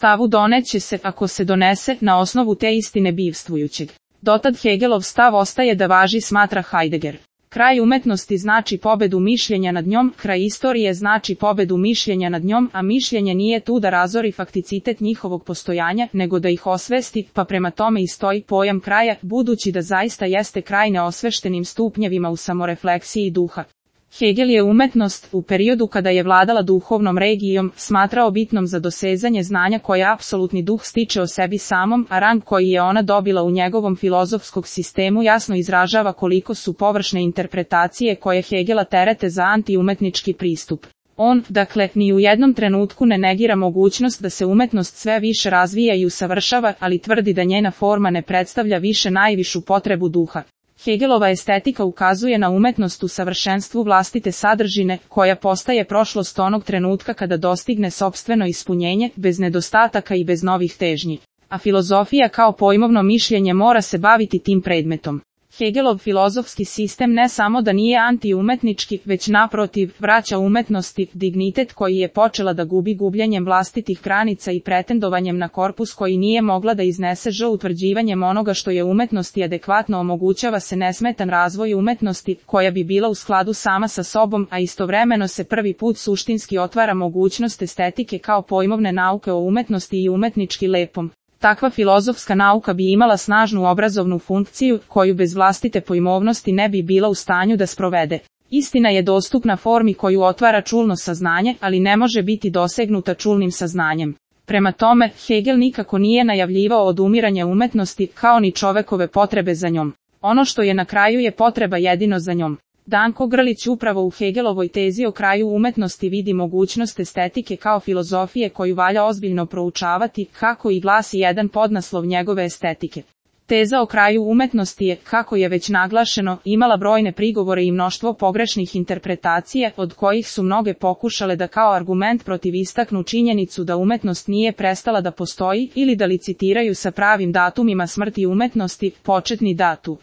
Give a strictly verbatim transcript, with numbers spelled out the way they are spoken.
stavu doneće se, ako se donese, na osnovu te istine bivstvujućeg. Dotad Hegelov stav ostaje da važi, smatra Heidegger. Kraj umetnosti znači pobedu mišljenja nad njom, kraj istorije znači pobedu mišljenja nad njom, a mišljenje nije tu da razori fakticitet njihovog postojanja, nego da ih osvesti, pa prema tome i stoji pojam kraja, budući da zaista jeste kraj neosveštenim stupnjevima u samorefleksiji duha. Hegel je umetnost, u periodu kada je vladala duhovnom regijom, smatrao bitnom za dosezanje znanja koje apsolutni duh stiče o sebi samom, a rang koji je ona dobila u njegovom filozofskog sistemu jasno izražava koliko su površne interpretacije koje Hegela terete za antiumetnički pristup. On, dakle, ni u jednom trenutku ne negira mogućnost da se umetnost sve više razvija i usavršava, ali tvrdi da njena forma ne predstavlja više najvišu potrebu duha. Hegelova estetika ukazuje na umetnost u savršenstvu vlastite sadržine, koja postaje prošlost onog trenutka kada dostigne sopstveno ispunjenje, bez nedostataka i bez novih težnji. A filozofija kao pojmovno mišljenje mora se baviti tim predmetom. Hegelov filozofski sistem ne samo da nije antiumetnički, već naprotiv, vraća umetnosti dignitet koji je počela da gubi gubljenjem vlastitih granica i pretendovanjem na korpus koji nije mogla da iznese ž utvrđivanjem onoga što je umetnost i adekvatno omogućava se nesmetan razvoj umetnosti, koja bi bila u skladu sama sa sobom, a istovremeno se prvi put suštinski otvara mogućnost estetike kao pojmovne nauke o umetnosti i umetnički lepom. Takva filozofska nauka bi imala snažnu obrazovnu funkciju, koju bez vlastite pojmovnosti ne bi bila u stanju da sprovede. Istina je dostupna formi koju otvara čulno saznanje, ali ne može biti dosegnuta čulnim saznanjem. Prema tome, Hegel nikako nije najavljivao odumiranje umetnosti, kao ni čovekove potrebe za njom. Ono što je na kraju je potreba jedino za njom. Danko Grlić upravo u Hegelovoj tezi o kraju umetnosti vidi mogućnost estetike kao filozofije koju valja ozbiljno proučavati, kako i glasi jedan podnaslov njegove estetike. Teza o kraju umetnosti je, kako je već naglašeno, imala brojne prigovore i mnoštvo pogrešnih interpretacija, od kojih su mnoge pokušale da kao argument protiv istaknu činjenicu da umetnost nije prestala da postoji ili da licitiraju sa pravim datumima smrti umetnosti, početni datum.